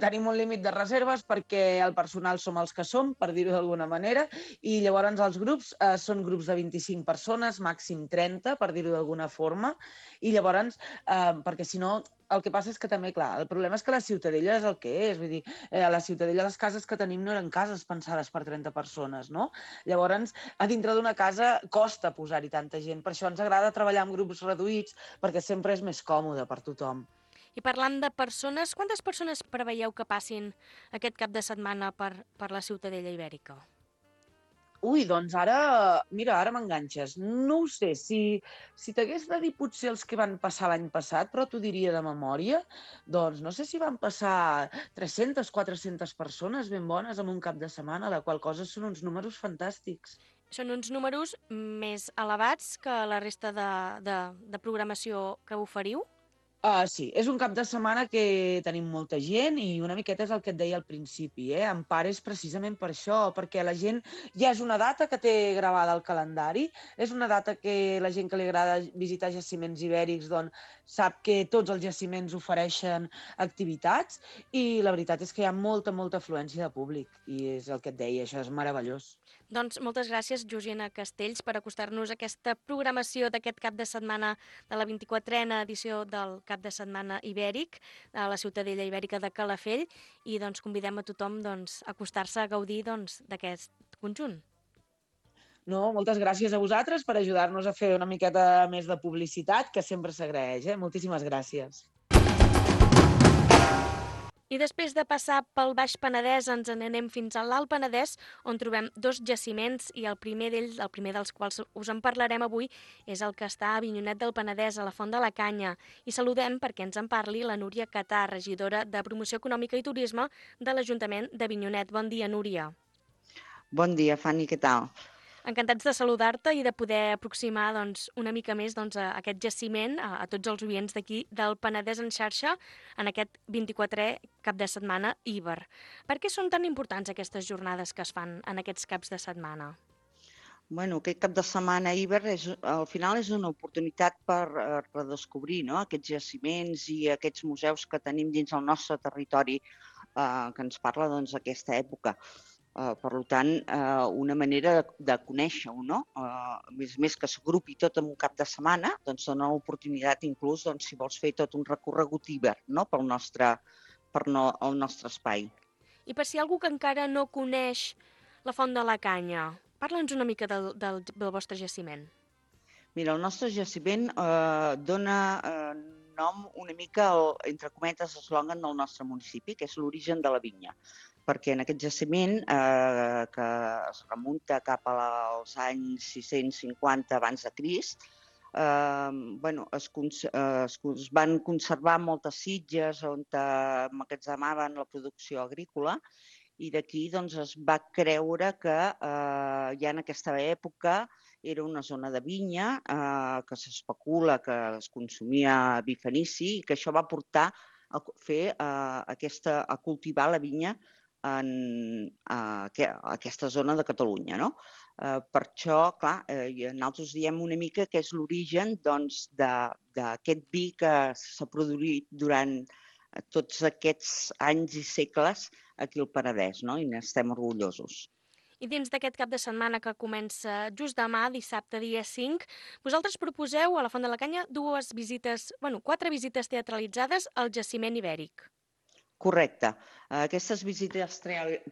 Tenim un límit de reserves perquè el personal som els que som, per dir-ho d'alguna manera, i llavors els grups són grups de 25 persones, màxim 30, per dir-ho d'alguna forma, i llavors, perquè si no, el que passa és que també, clar, el problema és que la Ciutadella és el que és, vull dir, a la Ciutadella les cases que tenim no eren cases pensades per 30 persones, no? Llavors, a dintre d'una casa costa posar-hi tanta gent, per això ens agrada treballar amb grups reduïts, perquè sempre és més còmode per tothom. I parlant de persones, quantes persones preveieu que passin aquest cap de setmana per la Ciutadella Ibèrica? Ui, doncs ara m'enganxes. No ho sé, si t'hagués de dir potser els que van passar l'any passat, però t'ho diria de memòria, doncs no sé si van passar 300, 400 persones ben bones en un cap de setmana, la qual cosa són uns números fantàstics. Són uns números més elevats que la resta de programació que oferiu? Sí, és un cap de setmana que tenim molta gent i una miqueta és el que et deia al principi, En part és precisament per això, perquè la gent ja és una data que té gravada al calendari, és una data que la gent que li agrada visitar jaciments ibèrics doncs, sap que tots els jaciments ofereixen activitats i la veritat és que hi ha molta afluència de públic i és el que et deia, això és meravellós. Doncs moltes gràcies, Georgina Castells, per acostar-nos a aquesta programació d'aquest cap de setmana de la 24a edició del cap de setmana ibèric a la Ciutadella Ibèrica de Calafell i doncs convidem a tothom a acostar-se a gaudir d'aquest conjunt. No, moltes gràcies a vosaltres per ajudar-nos a fer una miqueta més de publicitat, que sempre s'agraeix, Moltíssimes gràcies. I després de passar pel Baix Penedès ens n'anem fins a l'Alt Penedès, on trobem dos jaciments i el primer dels quals us en parlarem avui, és el que està a Avinyonet del Penedès, a la Font de la Canya. I saludem perquè ens en parli la Núria Catà, regidora de Promoció Econòmica i Turisme de l'Ajuntament d'Avinyonet. Bon dia, Núria. Bon dia, Fanny, què tal? Encantats de saludar-te i de poder aproximar una mica més a aquest jaciment, a tots els oients d'aquí del Penedès en xarxa, en aquest 24è cap de setmana Iber. Per què són tan importants aquestes jornades que es fan en aquests caps de setmana? Bueno, aquest cap de setmana Iber al final és una oportunitat per redescobrir aquests jaciments i aquests museus que tenim dins el nostre territori que ens parla d'aquesta època. Per tant, una manera de conèixer-ho, no? Més que s'agrupi tot en un cap de setmana, doncs dona l'oportunitat inclús, si vols fer tot un recorregut Iber, no? pel nostre espai. I per si hi ha algú que encara no coneix la Font de la Canya, parla'ns una mica del vostre jaciment. Mira, el nostre jaciment dona nom una mica, entre cometes, eslògan del nostre municipi, que és l'origen de la vinya. Perquè en aquest jaciment, que es remunta cap als anys 650 abans de Crist, es van conservar moltes sitges on emmagatzemaven la producció agrícola i d'aquí es va creure que ja en aquesta època era una zona de vinya, que s'especula que es consumia vi fenici i que això va portar a cultivar la vinya en aquesta zona de Catalunya. Per això, clar, nosaltres diem una mica que és l'origen d'aquest vi que s'ha produït durant tots aquests anys i segles aquí al Penedès, i n'estem orgullosos. I dins d'aquest cap de setmana que comença just demà, dissabte, dia 5, vosaltres proposeu a la Font de la Canya 4 visites teatralitzades al jaciment ibèric. Correcte. Aquestes visites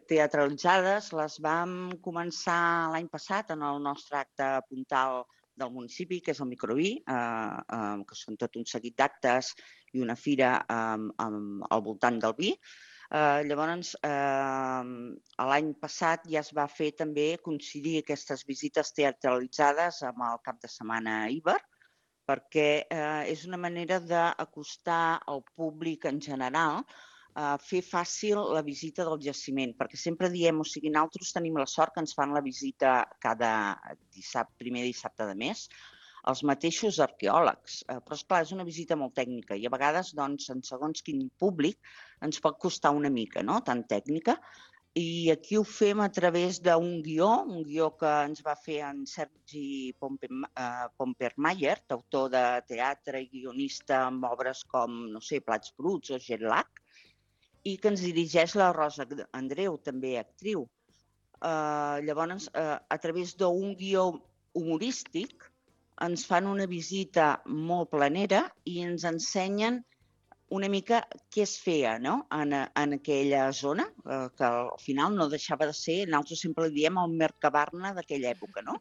teatralitzades les vam començar l'any passat en el nostre acte puntal del municipi, que és el Microví, que són tot un seguit d'actes i una fira al voltant del vi. Llavors, l'any passat ja es va fer també coincidir aquestes visites teatralitzades amb el cap de setmana Iber, perquè és una manera d'acostar al públic en general, fer fàcil la visita del jaciment, perquè sempre diem, o sigui, nosaltres tenim la sort que ens fan la visita cada primer dissabte de mes, els mateixos arqueòlegs, però esclar, és una visita molt tècnica i a vegades, doncs, en segons quin públic ens pot costar una mica, no?, tan tècnica, i aquí ho fem a través d'un guió que ens va fer en Sergi Pompermayer, autor de teatre i guionista amb obres com, no sé, Plats bruts o Jet Lag, i que ens dirigeix la Rosa Andreu, també actriu. Llavors, a través d'un guió humorístic, ens fan una visita molt planera i ens ensenyen una mica què es feia, no?, en aquella zona, que al final no deixava de ser, nosaltres sempre li diem el Mercabarna d'aquella època, no?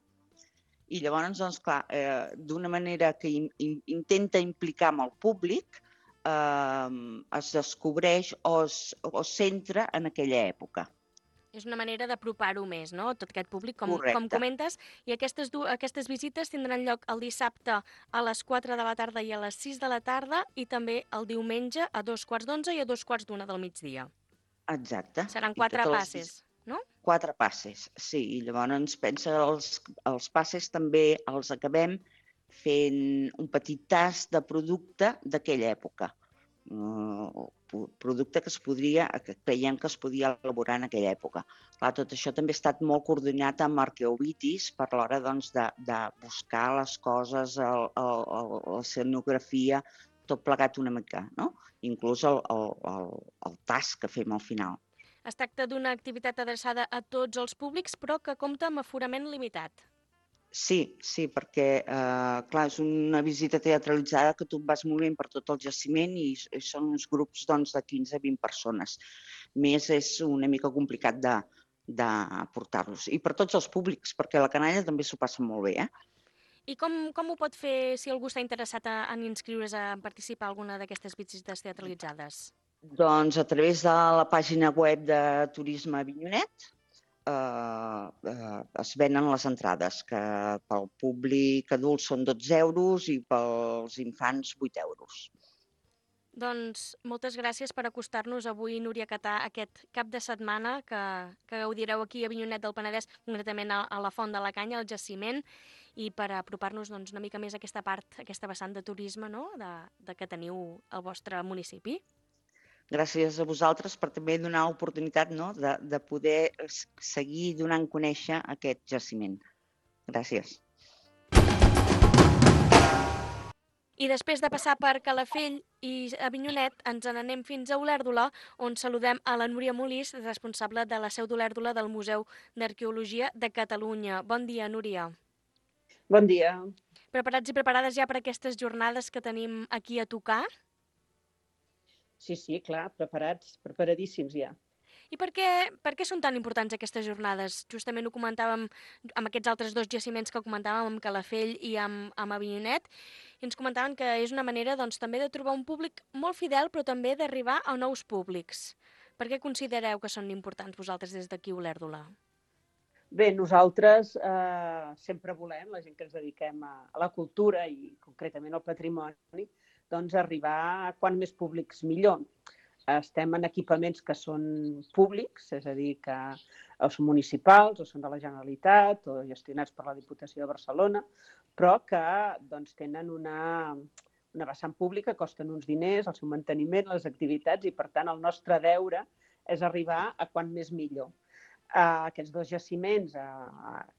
I llavors, doncs, clar, d'una manera que intenta implicar amb el públic, es descobreix o es centra en aquella època. És una manera d'apropar-ho més, no?, tot aquest públic, com comentes. I aquestes visites tindran lloc el dissabte a les 4 de la tarda i a les 6 de la tarda i també el diumenge a 2:15 i a 2:45 del migdia. Exacte. Seran 4 passes, no? 4 passes, sí. I llavors pensa els passes també els acabem fent un petit tast de producte d'aquella època. Producte que creiem que es podia elaborar en aquella època. Clar, tot això també ha estat molt coordinat amb Arqueovitis per l'hora de buscar les coses, l'escenografia, tot plegat una mica, no? Inclús el tast que fem al final. Es tracta d'una activitat adreçada a tots els públics, però que compta amb aforament limitat. Sí, perquè, clar, és una visita teatralitzada que tu vas movent per tot el jaciment i són uns grups de 15 a 20 persones. Més és una mica complicat de portar-los. I per tots els públics, perquè la canalla també s'ho passa molt bé, I com ho pot fer si algú està interessat en inscriure's a participar a alguna d'aquestes visites teatralitzades? Doncs a través de la pàgina web de Turisme Avinyonet, es venen les entrades, que pel públic adult són 12 euros i pels infants 8 euros. Doncs moltes gràcies per acostar-nos avui, Núria Catà, aquest cap de setmana que gaudireu aquí a Avinyonet del Penedès, concretament a la Font de la Canya, al jaciment, i per apropar-nos una mica més a aquesta part, aquesta vessant de turisme, no?, que teniu al vostre municipi. Gràcies a vosaltres per també donar l'oportunitat, no?, de poder seguir donant a conèixer aquest jaciment. Gràcies. I després de passar per Calafell i Avinyonet, ens n'anem fins a Olèrdola, on saludem a la Núria Molís, responsable de la seu d'Olèrdola del Museu d'Arqueologia de Catalunya. Bon dia, Núria. Bon dia. Preparats i preparades ja per aquestes jornades que tenim aquí a tocar? Sí, clar, preparadíssims ja. I per què són tan importants aquestes jornades? Justament ho comentàvem amb aquests altres 2 jaciments que comentàvem, amb Calafell i amb Avinyonet, i ens comentaven que és una manera també de trobar un públic molt fidel, però també d'arribar a nous públics. Per què considereu que són importants vosaltres des d'aquí a Olèrdola? Bé, nosaltres sempre volem, la gent que ens dediquem a la cultura i concretament al patrimoni, doncs arribar a quant més públics millor. Estem en equipaments que són públics, és a dir, que o són municipals o són de la Generalitat o gestionats per la Diputació de Barcelona, però que tenen una vessant pública, costen uns diners, el seu manteniment, les activitats, i per tant el nostre deure és arribar a quant més millor. Aquests 2 jaciments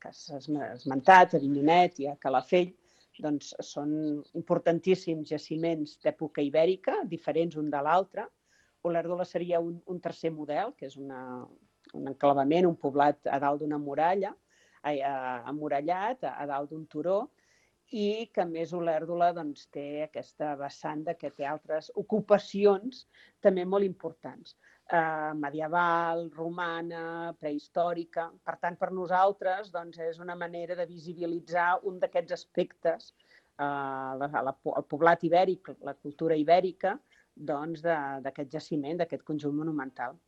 que s'ha esmentat, a Avinyonet i a Calafell, doncs són importantíssims jaciments d'època ibèrica, diferents un de l'altre. Olèrdola seria un tercer model, que és una enclavament, un poblat a dalt d'una muralla, emmurallat, a dalt d'un turó, i que a més Olèrdola doncs, té aquesta vessant que té altres ocupacions també molt importants. Medieval, romana, prehistòrica. Per tant, per nosaltres doncs, és una manera de visibilitzar un d'aquests aspectes, el poblat ibèric, la cultura ibèrica, doncs, d'aquest jaciment, d'aquest conjunt monumental.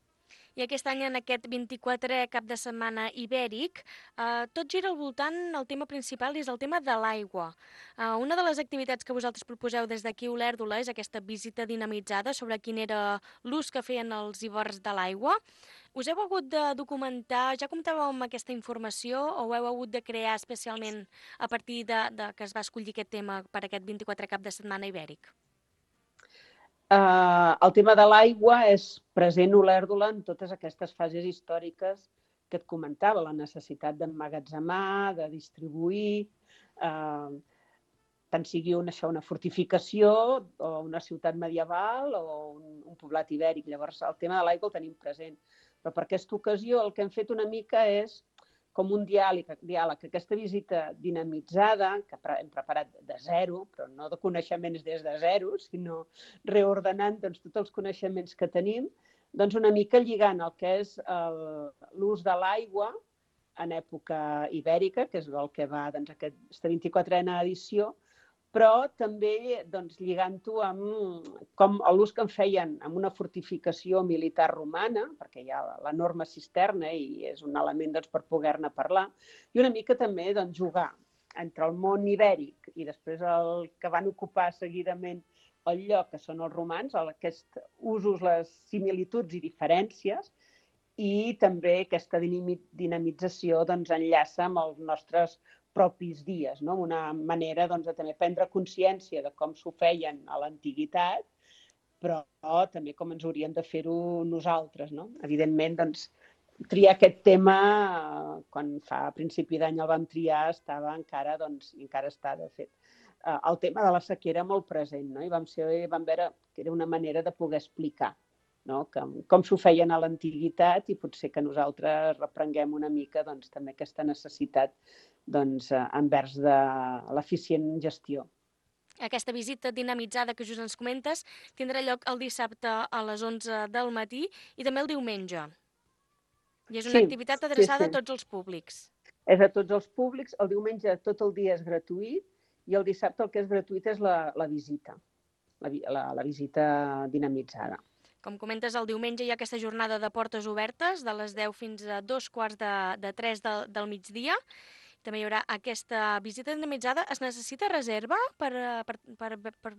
I aquest any, en aquest 24è cap de setmana ibèric, tot gira al voltant, el tema principal és el tema de l'aigua. Una de les activitats que vosaltres proposeu des d'aquí a Olèrdola és aquesta visita dinamitzada sobre quin era l'ús que feien els ibers de l'aigua. Us heu hagut de documentar, ja comptàveu amb aquesta informació o ho heu hagut de crear especialment a partir de que es va escollir aquest tema per aquest 24è cap de setmana ibèric? El tema de l'aigua és present a Olèrdola en totes aquestes fases històriques que et comentava, la necessitat d'emmagatzemar, de distribuir, tant sigui una fortificació o una ciutat medieval o un poblat ibèric. Llavors, el tema de l'aigua el tenim present. Però per aquesta ocasió el que hem fet una mica és com un diàleg, aquesta visita dinamitzada, que hem preparat de zero, però no de coneixements des de zero, sinó reordenant tots els coneixements que tenim, doncs una mica lligant el que és l'ús de l'aigua en època ibèrica, que és el que va aquesta 24a edició, però també lligant-ho amb l'ús que en feien en una fortificació militar romana, perquè hi ha l'enorme cisterna i és un element per poder-ne parlar, i una mica també jugar entre el món ibèric i després el que van ocupar seguidament el lloc, que són els romans, aquests usos, les similituds i diferències, i també aquesta dinamització enllaça amb els nostres propis dies, una manera de també prendre consciència de com s'ho feien a l'antiguitat, però també com ens hauríem de fer-ho nosaltres. Evidentment, triar aquest tema, quan a principi d'any el vam triar, estava encara, i encara està, de fet, el tema de la sequera molt present, i vam veure que era una manera de poder explicar com s'ho feien a l'antiguitat i potser que nosaltres reprenguem una mica també aquesta necessitat envers de l'eficient gestió. Aquesta visita dinamitzada que just ens comentes tindrà lloc el dissabte a les 11 del matí i també el diumenge. I és una activitat adreçada a tots els públics. És a tots els públics. El diumenge tot el dia és gratuït i el dissabte el que és gratuït és la visita, la visita dinamitzada. Com comentes, el diumenge hi ha aquesta jornada de portes obertes de les 10 fins a 2:45 del migdia. També hi haurà aquesta visita dinamitzada. Es necessita reserva per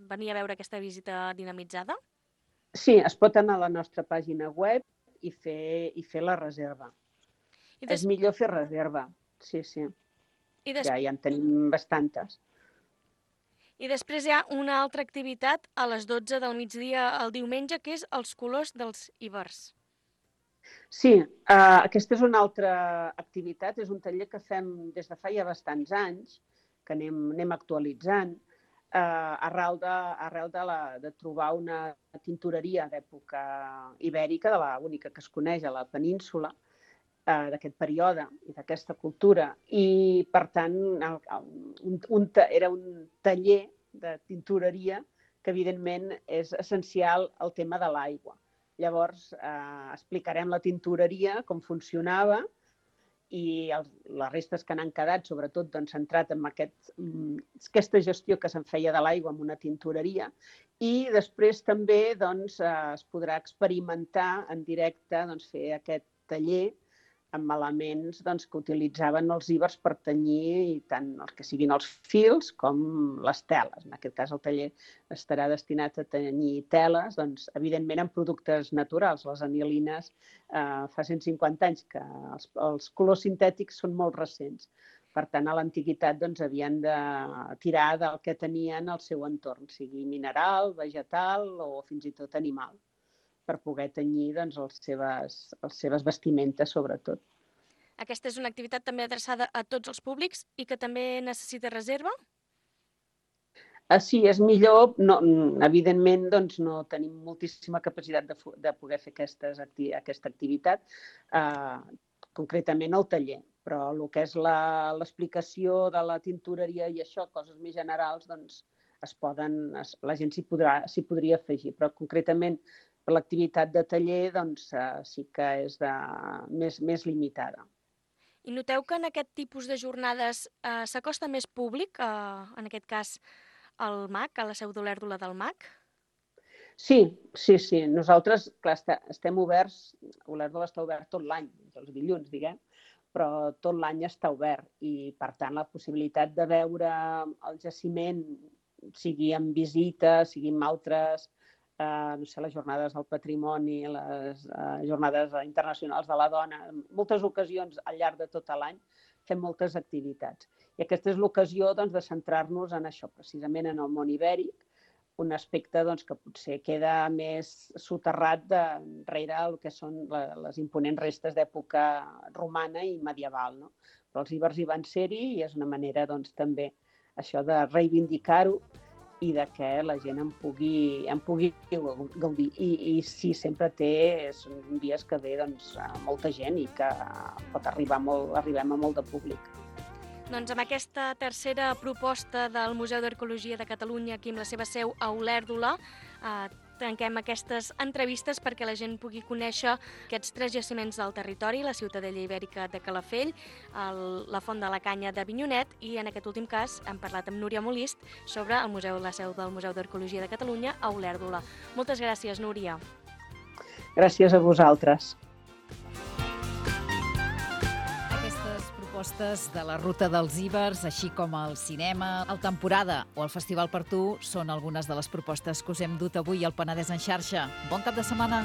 venir a veure aquesta visita dinamitzada? Sí, es pot anar a la nostra pàgina web i fer la reserva. És millor fer reserva, sí. Ja en tenim bastantes. I després hi ha una altra activitat a les 12 del migdia el diumenge, que és els colors dels ibers. Sí, aquesta és una altra activitat. És un taller que fem des de fa ja bastants anys, que anem actualitzant, arrel de trobar una tintoreria d'època ibèrica, de l'única que es coneix a la península, d'aquest període i d'aquesta cultura. I, per tant, era un taller de tintoreria que, evidentment, és essencial al tema de l'aigua. Llavors, explicarem la tintoreria, com funcionava, i les restes que n'han quedat, sobretot centrat en aquesta gestió que se'n feia de l'aigua en una tintoreria. I després també es podrà experimentar en directe, fer aquest taller amb elements que utilitzaven els ibers per tenyir tant els que siguin els fils com les teles. En aquest cas, el taller estarà destinat a tenyir teles, evidentment amb productes naturals. Les anilines fa 150 anys que els colors sintètics són molt recents. Per tant, a l'antiguitat havien de tirar del que tenien al seu entorn, sigui mineral, vegetal o fins i tot animal, per poder tenyir les seves vestimentes, sobretot. Aquesta és una activitat també adreçada a tots els públics i que també necessita reserva? Sí, és millor. No, evidentment, doncs, no tenim moltíssima capacitat de poder fer aquesta activitat, concretament al taller. Però el que és l'explicació de la tintoreria i això, coses més generals, doncs la gent s'hi podria afegir. Però concretament per l'activitat de taller doncs, sí que és més limitada. I noteu que en aquest tipus de jornades s'acosta més públic, en aquest cas al MAC, a la seu d'Olèrdola del MAC? Sí. Nosaltres, clar, estem oberts, Olèrdola està obert tot l'any, els dilluns, diguem, però tot l'any està obert i, per tant, la possibilitat de veure el jaciment, sigui en visita, sigui en altres, les jornades del patrimoni, les jornades internacionals de la dona, en moltes ocasions al llarg de tot l'any fem moltes activitats. I aquesta és l'ocasió de centrar-nos en això, precisament en el món ibèric, un aspecte que potser queda més soterrat darrere el que són les imponents restes d'època romana i medieval. Però els ibers hi van ser-hi i és una manera també això de reivindicar-ho i de que la gent en pugui gaudir. I sí, sempre són dies que ve molta gent i que pot arribem a molt de públic. Doncs amb aquesta tercera proposta del Museu d'Arqueologia de Catalunya, aquí amb la seva seu a Olèrdola, tanquem aquestes entrevistes perquè la gent pugui conèixer aquests 3 jaciments del territori, la Ciutadella Ibèrica de Calafell, la Font de la Canya d'Avinyonet i, en aquest últim cas, hem parlat amb Núria Molist sobre la seu del Museu d'Arqueologia de Catalunya a Olèrdola. Moltes gràcies, Núria. Gràcies a vosaltres. Propostes de la Ruta dels Ibers, així com el cinema, el temporada o el Festival per Tu són algunes de les propostes que us hem dut avui al Penedès en xarxa. Bon cap de setmana!